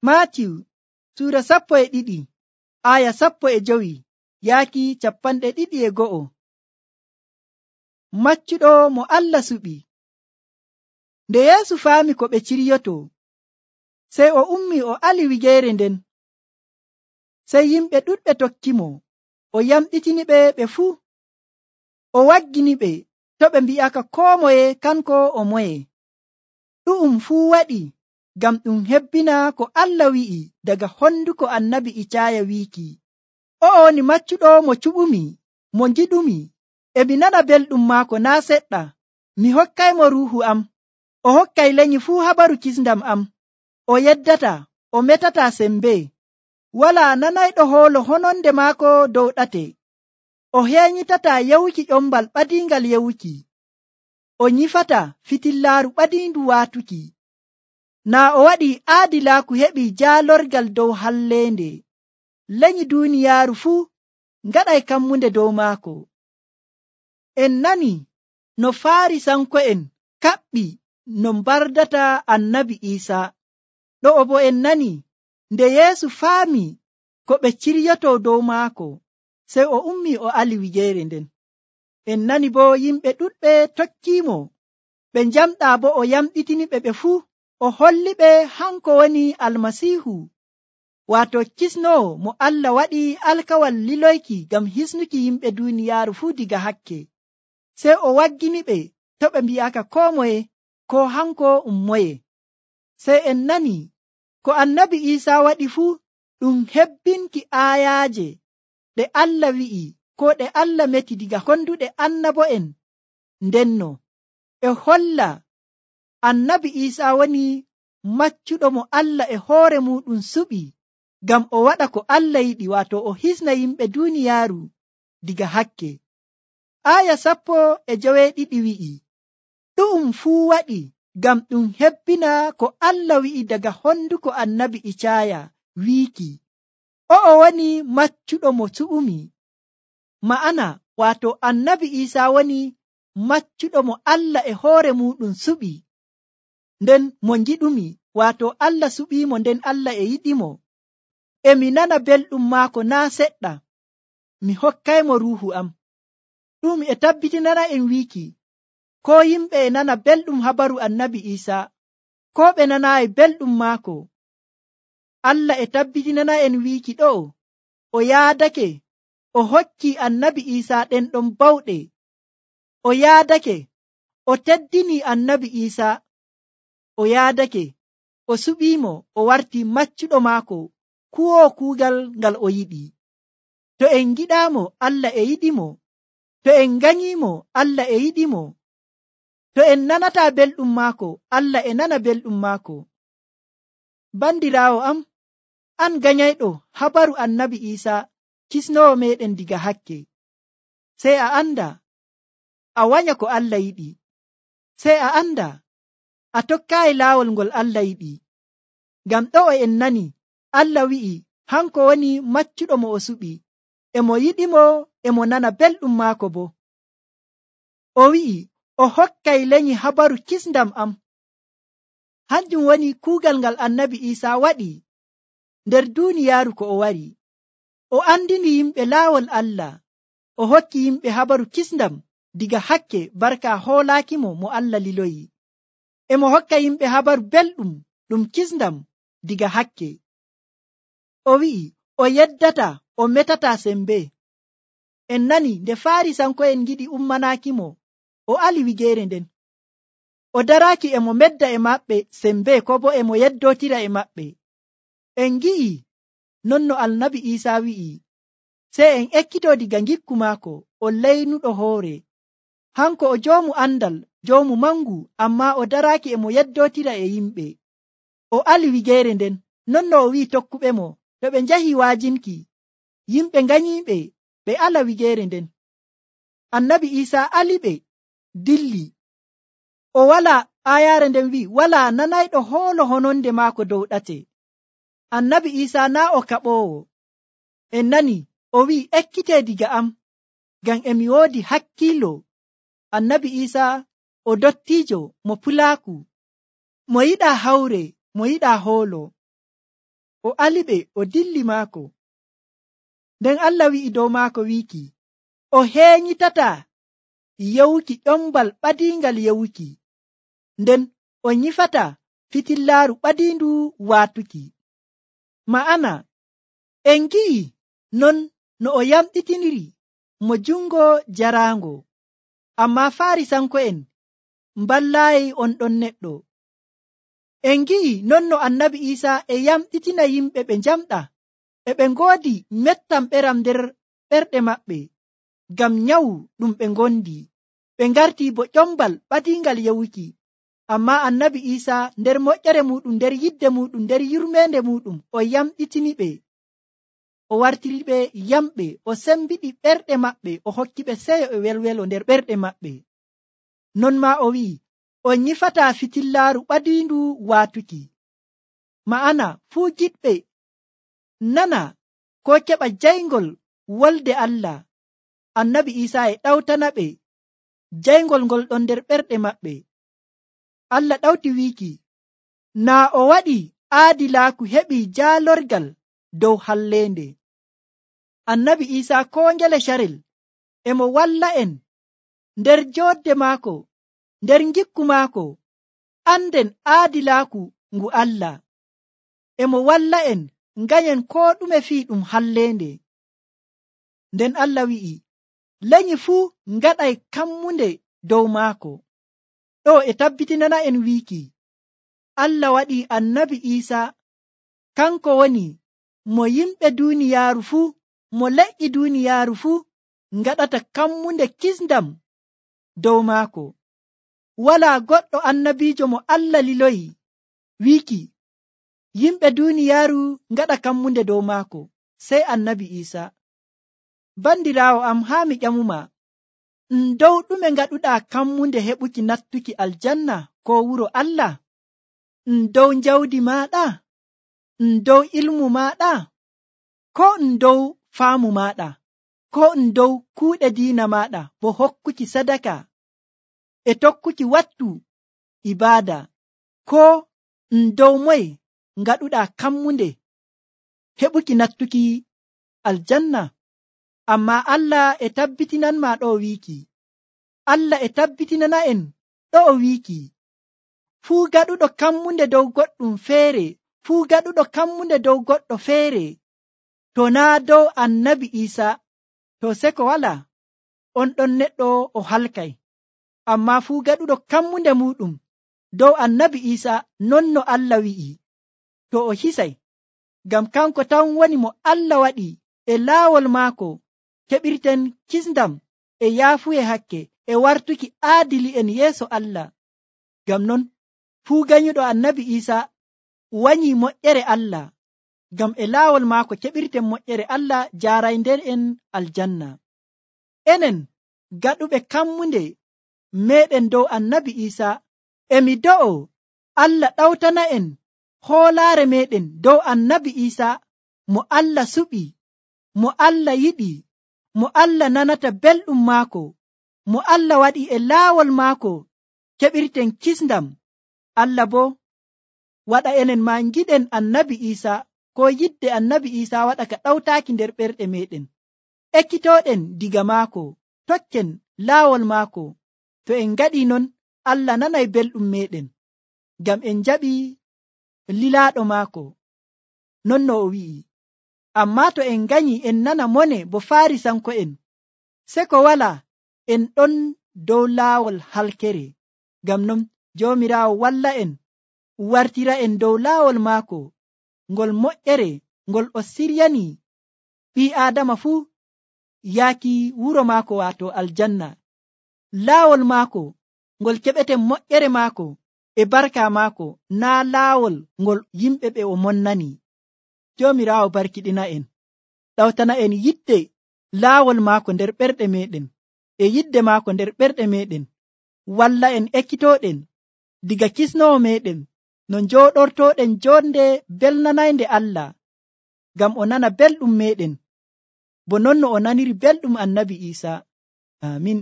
Maatiyu suura 12 aya 15 yaaki 21. Maccuɗo mo Allah suɓi. Nde Yeesu faami ko ɓe ciryoto, sey o ummi o ali wigeere nden. Sey yimɓe ɗuɗɓe tokkimo, o yamɗitini ɓe fuu. O waggini ɓe to ɓe mbi'aka koo moye kanko o moye. Ɗu'um fuu waɗi ngam ɗum hebbina ko Allah wi'i daga honduko annabi Icaaya wiiki, o'o woni maccuɗo mo cuɓumi, mo ngiɗumi, e mi nana belɗum maako naa seɗɗa. Mi hokkaymo ruuhu am, o hokkay lenyi fuu habaru kisndam am. O yeddata, o metata sembe, walaa nanayɗo hoolo hononde maako dow ɗate. O heenyitata yewuki ƴombal ɓadiingal yewuki. O nyifata fitillaaru ɓadiindu waatuki. Naa o waɗi aadilaaku heɓi jaalorgal dow halleende. Lenyi duuniyaaru fuu ngaɗay kammunde dow maako. En nani no Faarisanko'en kaɓɓi no mbardata annabi Iisaa. Ɗo'o bo en nani nde Yeesu faami ko ɓe ciryoto dow maako, sey o ummi o ali wigeere nden. En nani bo yimɓe ɗuɗɓe tokkiimo, ɓe njamɗaa bo o yamɗitini ɓe fuu. O holli ɓe hanko woni Almasiihu, waato kisnowo mo Allah waɗi alkawal liloyki ngam hisnuki yimɓe duuniyaaru fuu diga hakke. Sey o waggini ɓe to ɓe mbi'aka koo moye ko hanko moye. Sey en nani ko annabi Iisaa waɗi fuu ɗum hebbinki aayaaje ɗe Allah wi'i ko ɗe Allah meti diga honduɗe annabo'en. Ndenno e holla annabi Iisaa woni maccuɗo mo Allah e hoore muɗum suɓi ngam o waɗa ko Allah yiɗi, waato o hisna yimɓe duuniyaaru diga hakke. Aya 12 wi'i, ɗu'um fuu waɗi ngam ɗum hebbina ko Allah wi'i daga honduko annabi Icaaya wiiki, o'o woni maccuɗo mo suɓumi. Ma'ana waato annabi Iisaa woni maccuɗo mo Allah e hoore muɗum suɓi, nden mo ngiɗumi, waato Allah suɓiimo nden Allah e yiɗimo. E mi nana belɗum maako naa seɗɗa. Mi hokkaymo ruuhu am. Ɗum e tabbitinana en wiiki, ko yimɓe e nana belɗum habaru annabi Iisaa, ko ɓe nanaayi belɗum maako. Allah e tabbitinana en wiiki ɗo, o yaadake, o hokki annabi Iisaa ɗen ɗon bawɗe. O yaadake, o teddini annabi Iisaa. O yaadake, o suɓiimo, o warti maccuɗo maako, kuwoo kuugal ngal o yiɗi. To en giɗaamo, Allah e yiɗimo. To en nganyiimo, Allah e yiɗimo. To en nanataa belɗum maako, Allah e nana belɗum maako. Bandiraawo am, an ganyayɗo habaru annabi Iisaa, kisnowo meɗen diga hakke. Sey a anda, a wanya ko Allah yiɗi. Sey a anda, a tokkaayi laawol ngol Allah yiɗi. Ngam ɗo'o en nani, Allah wi'i hanko woni maccuɗo mo o suɓi, e mo yiɗimo, e mo nana belɗum maako bo. O wi'i, o hokkay lenyi habaru kisndam am. Hanjum woni kuugal ngal annabi Iisaa waɗi nder duuniyaaru ko o wari. O andini yimɓe laawol Allah, o hokki yimɓe habaru kisndam diga hakke barka hoolaakimo mo Allah liloyi. E mo hokka yimɓe habaru belɗum ɗum kisndam diga hakke. O wi'i, o yeddata, o metata sembe. En nani nde Faarisanko'en ngiɗi ummanaakimo, o ali wigeere nden. O daraaki e mo medda e maɓɓe sembe, ko bo e mo yeddootira e maɓɓe. En ngi'i non no annabi Iisaa wi'i, sey en ekkito diga ngikku maako, o leynuɗo hoore. Hanko o joomu andal, joomu mangu, amma o daraaki e mo yeddootira e yimɓe. O ali wigeere nden, non no o wi'i tokkuɓe mo, to ɓe njahi waajinki, yimɓe nganyiiɓe, ɓe ala wigeere nden. Annabi Iisaa ali ɓe, dilli. O wala, ayaare nden wi'i, wala nanayɗo hoolo hononde maako dow ɗate. Annabi Iisaa naa o kaɓoowo. En nani, o wi'i, ekkite diga am, ngam emi woodi hakkiilo. Annabi Iisaa o dottiijo mo pulaaku, mo yiɗaa hawre, mo yiɗaa hoolo. o aliɓe o dilli maako. Nden Allah wi'i dow maako wiiki, o heenyitata yewuki ƴombal ɓadiingal yewuki, nden o nyifata fitillaaru ɓadiindu waatuki. Ma'ana, en gi'i non no o yamɗitiniri mo jungo jaraango, ammaa Faarisanko'en mballaayi on ɗon neɗɗo. En gi'i non no Annabi Iisaa e yamɗitina yimɓe ɓe njamɗa, e ɓe ngoodi mettam ɓeram nder ɓerɗe maɓɓe ngam nyawu ɗum ɓe ngondi. Ɓe ngartii bo ƴombal ɓadiingal yewuki, ammaa Annabi Iisaa nder moƴƴere muɗum, nder yidde muɗum, nder yurmeende muɗum, o yamɗitini ɓe, o wartiri ɓe yamɓe, o sembiɗi ɓerɗe maɓɓe, o hokki ɓe seyo e welwelo nder ɓerɗe maɓɓe. Non maa o wi'i, on nyifataa fitillaaru ɓadiindu waatuki. Ma'ana, fuu giɗɓe nana ko keɓa jayngol wolde Allah, Annabi Iisaa e ɗawtana ɓe jayngol ngol ɗon nder ɓerɗe maɓɓe. Allah ɗawti wiiki, naa o waɗi aadilaaku heɓi jaalorgal dow halleende. Annabi Iisaa koo ngele carel emo walla en nder joodde maako, nder ngikku maako, anden aadilaaku ngu Allah. Emo walla en nganyen koo ɗume fii ɗum halleende. Nden Allah wi'i, lenyi fuu ngaɗay kammunde dow maako. Ɗo e tabbitinana en wiiki, Allah waɗi Annabi Iisaa kanko woni mo yimɓe duuniyaaru fuu, mo leƴƴi duuniyaaru fuu ngaɗata kammunde kisndam dow maako. Walaa goɗɗo annabiijo mo Allah liloyi wiiki yimɓe duuniyaaru ngaɗa kammunde dow maako, sey Annabi Iisaa. Bandiraawo am, haa mi ƴamuma, dow ɗume ngaɗuɗaa kammunde heɓuki nattuki aljanna ko wuro Allah? Dow jawdi maaɗa? Dow ilmu maaɗa? Ko dow faamu maaɗa? Ko dow kuuɗe diina maaɗa, bo hokkuki sadaka e tokkuki wattu ibaada? Ko dow moye ngaɗuɗaa kammunde heɓuki nattuki aljanna? Ammaa Allah e tabbitinanma ɗo wiiki, Allah e tabbitinana en ɗo o wiiki, fuu gaɗuɗo kammunde dow goɗɗum feere, fuu gaɗuɗo kammunde dow goɗɗo feere, to naa dow Annabi Iisaa, to seko walaa, on ɗon neɗɗo o halkay. Ammaa fuu gaɗuɗo kammunde muɗum dow Annabi Iisaa, non no Allah wi'i, to o hisay, ngam kanko tan woni mo Allah waɗi e laawol maako keɓirten kisndam e yaafuye hakke e wartuki aadili en yeeso Allah. Ngam non fuu ganyuɗo Annabi Iisaa wanyi moƴƴere Allah, ngam e laawol maako keɓirten moƴƴere Allah jaaraynden en aljanna. Enen gaɗuɓe kammunde meɗen dow Annabi Iisaa, emi do'o Allah ɗawtana en hoolaare meɗen dow Annabi Iisaa, mo Allah suɓi, mo Allah yiɗi, mo Allah nanata belɗum maako, mo Allah waɗi e laawol maako keɓirten kisndam. Allah bo waɗa enen ma giɗen Annabi Iisaa, ko yidde Annabi Iisaa waɗa ka ɗawtaaki nder ɓerɗe meɗen, ekkitooɗen diga maako, tokken laawol maako. To en ngaɗi non, Allah nanay belɗum meɗen, ngam en jaɓi lilaaɗo maako, non no o wi'i. Ammaa to en ganyi en nana mone bo Faarisanko'en, seko walaa, en ɗon dow laawol halkere. Ngam non Joomiraawo walla en, wartira en dow laawol maako ngol moƴƴere ngol o siryani ɓii Aadama fuu yaaki wuro maako, waato aljanna. Laawol maako ngol keɓeten moƴƴere maako e barka maako, naa laawol ngol yimɓe ɓe o monnani. Joomiraawo barkiɗina en, ɗawtana en yidde laawol maako nder ɓerɗe meɗen, e yidde maako nder ɓerɗe meɗen, walla en ekkitooɗen diga kisnowo meɗen, no njooɗortoɗen jonde belnanaynde Allah, ngam o nana belɗum meɗen, bo non no o naniri belɗum Annabi Iisaa. Amin.